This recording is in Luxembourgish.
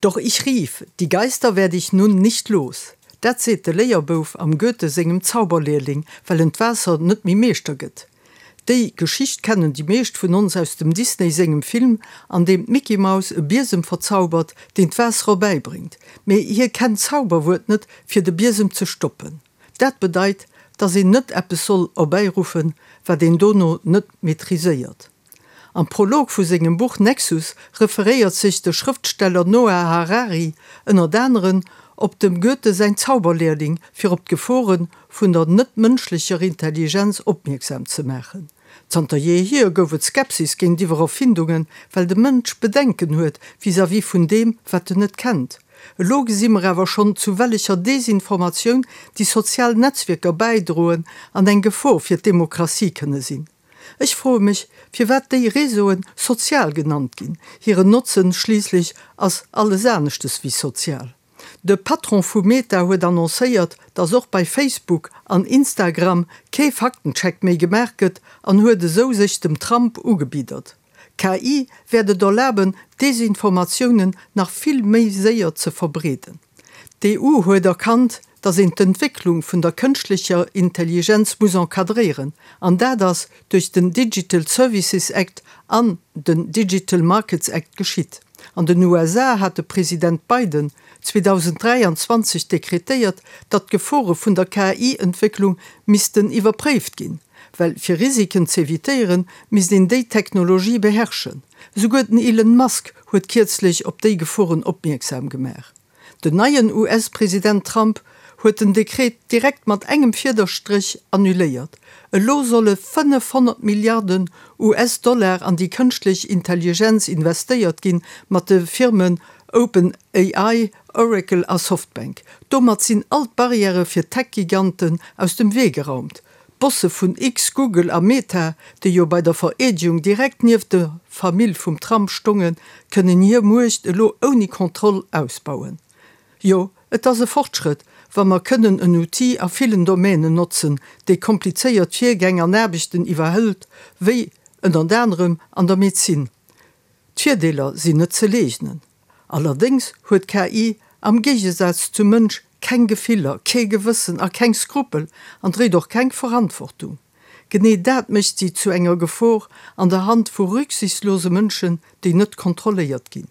Doch ich rief, Die Geister werde ich nun nicht los! Dat seet de Léierbouf am Goethe sengem Zauberlehrling, well en d'Waasser net méi meeschter gëtt. Déi Geschicht kennen déi meescht vun ons aus dem Disney sengem Film, an deem d'Mickey Maus e Biesem verzaubert, deen d'Waasser erbäibréngt. Mee hie kennt d'Zauberwuert net, fir de Biesem ze stoppen. Dat bedeit, dass een net eppes soll erbäiruffen, wat een dono net maîtriséiert. Am Prolog vu sengem Buch Nexus referéiert sech de Schrëftsteller Noah Harari ënnert aneren op dem Goethe säin Zauberlehrling, fir op d'Gefore vun der net-mënschlecher Intelligenz opmierksam ze maachen. Zanter jeehier gouf et Skepsis géintiwwer Erfindungen, well de Mënsch Bedenken huet vis-à-vis vun deem, wat en net kennt. Elo gesi mer awer schonn, zu wellecher Desinformatioun déi sozial Netzwierker bäidroen an eng Gefor fir d'Demokratie kënne sinn. Ech froe mech, firwat déi Réseauen sozial genannt ginn. Hiren Notzen schliisslech ass alles aneschtes wéi sozial. De Patron vu Meta huet annoncéiert, datt och bei Facebook an Instagram kee Faktencheck méi gemaach gëtt an huet esou sech dem Trump ugebiddert. KI wäert et erlaben, Desinformatiounen nach vill méi séier ze verbreeden. D'EU huet erkannt, datt een d'Entwécklung vun der kënschtlecher Intelligenz muss encadréieren, an dat ass duerch den Digital Services Act an den Digital Markets Act geschitt. An den USA hat de President Biden 2023 dekretéiert, datt d'Gefore vun der KI-Entwécklung missten iwwerpréift ginn, well fir Risiken z'evitéieren, misst een déi Technologie beherrschen. Esouguer den Elon Musk huet kierzlech op déi Geforen opmierksam gemaach. Den neien US-President Trump huet den Dekret direkt mat engem Fiederstréch annuléiert. Elo solle 500 Milliarden US-Dollar an déi kënschtlech Intelligenz investéiert ginn, mat de Firmen OpenAI, Oracle a Softbank. Domat sinn all d'Barrièrë fir d'Tech-Giganten aus dem Wee geraumt. D'Bosse vun X, Google a Meta, déi jo bei der Vereedegung direkt nieft der Famill vum Trump stongen, kënnen hir Muecht elo ouni Kontroll ausbauen. Jo, et ass e Fortschrëtt, wa mer kënnen en Outil a villen Domänen notzen, dee komplizéiert Virgäng an Aarbechten iwwerhëlt, wéi ënnert anerem an der Medezin. D'Virdeeler sinn net ze leegnen. Allerdéngs huet d'KI am Géigesaz zum Mënsch keng Gefiller, kee Gewëssen a keng Skrupel an dréit och keng Verantwortung. Genee dat mécht si zu enger Gefor an der Hand vu rücksichtslose Mënschen, déi net kontrolléiert ginn.